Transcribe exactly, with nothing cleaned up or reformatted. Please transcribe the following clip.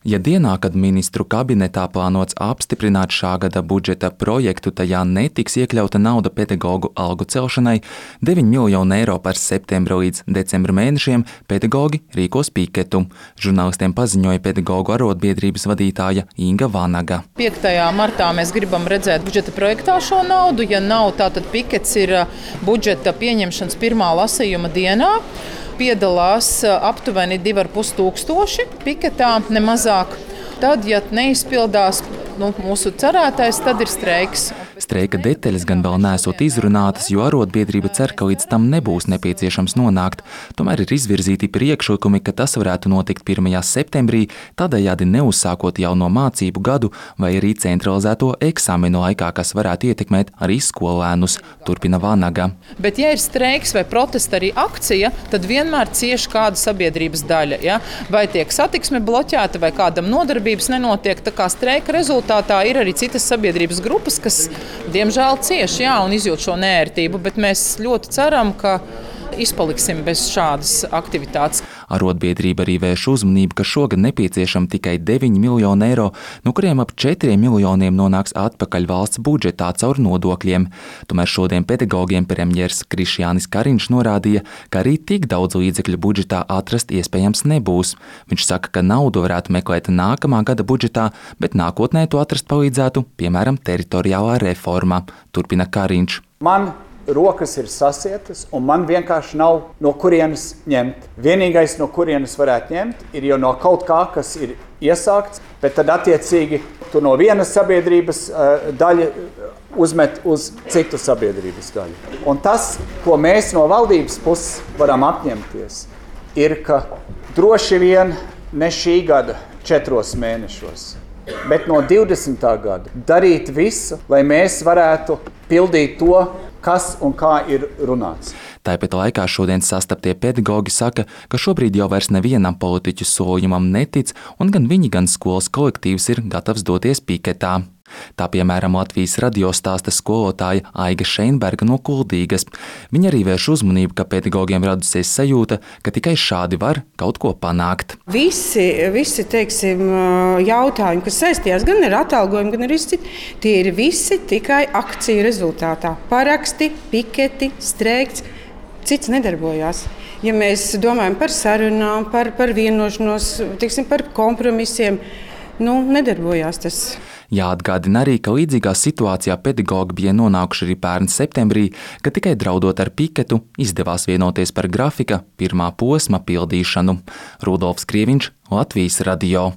Ja dienā, kad ministru kabinetā plānots apstiprināt šā gada budžeta projektu, tajā netiks iekļauta nauda pedagogu algu celšanai, deviņi miljoni eiro par septembra līdz decembra mēnešiem pedagogi rīkos piketu. Žurnālistiem paziņoja pedagogu arotbiedrības vadītāja Inga Vanaga. piektajā martā mēs gribam redzēt budžeta projektā šo naudu. Ja nav, tātad pikets ir budžeta pieņemšanas pirmā lasījuma dienā. Piedalās aptuveni divi ar pus tūkstoši piketā, ne mazāk. Tad, ja neizpildās nu, mūsu cerētais, tad ir streiks. Streika detaļas gan vēl neesot izrunātas, jo arotbiedrība cer, ka līdz tam nebūs nepieciešams nonākt. Tomēr ir izvirzīti priekšlikumi, ka tas varētu notikt pirmajā septembrī, tādējādi neuzsākot jauno mācību gadu vai arī centralizēto eksāmenu laikā, kas varētu ietekmēt arī skolēnus, turpina Vanaga. Bet, ja ir streiks vai protesta arī akcija, tad vienmēr cieši kāda sabiedrības daļa. Ja? Vai tiek satiksme bloķēta, vai kādam nodarbības nenotiek, tā kā streika rezultātā ir arī citas sabiedrības grupas, kas diemžēl cieši jā, un izjūt šo neērtību, bet mēs ļoti ceram, ka izpaliksim bez šādas aktivitātes. Arotbiedrība arī vērš uzmanību, ka šogad nepieciešama tikai deviņi miljoni eiro, no kuriem ap četriem miljoniem nonāks atpakaļ valsts budžetā caur nodokļiem. Tomēr šodien pedagogiem premjers Krišjānis Kariņš norādīja, ka arī tik daudz līdzekļu budžetā atrast iespējams nebūs. Viņš saka, ka naudu varētu meklēt nākamā gada budžetā, bet nākotnē to atrast palīdzētu, piemēram, teritoriālā reforma, turpina Kariņš. Man rokas ir sasietas, un man vienkārši nav no kurienes ņemt. Vienīgais, no kurienes varētu ņemt, ir jau no kaut kā, kas ir iesākts, bet tad attiecīgi tu no vienas sabiedrības uh, daļa uzmet uz citu sabiedrības daļu. Un tas, ko mēs no valdības puses varam apņemties, ir, ka droši vien ne šī gada četros mēnešos, bet no divdesmitā gada darīt visu, lai mēs varētu pildīt to, kas un kā ir runāts. Tāpat laikā šodien sastaptie pedagogi saka, ka šobrīd jau vairs nevienam politiķu solījumam netic, un gan viņi, gan skolas kolektīvs ir gatavs doties piketā. Tā piemēram Latvijas radio stāsta skolotāja Aiga Šeinberga no Kuldīgas. Viņa arī vērš uzmanību, ka pedagogiem radusies sajūta, ka tikai šādi var kaut ko panākt. Visi, visi teiksim, jautājumi, kas saistījās gan ar atalgojumu, gan ar izcitu, tie ir visi tikai akciju rezultātā. Paraksti, piketi, streikts, cits nedarbojās. Ja mēs domājam par sarunām, par, par vienošanos, teiksim, par kompromisiem, nu, nedarbojās tas. Jāatgādina arī, ka līdzīgā situācijā pedagogi bija nonākuši arī pērn septembrī, kad tikai draudot ar piketu izdevās vienoties par grafika pirmā posma pildīšanu. Rudolfs Krieviņš, Latvijas radio.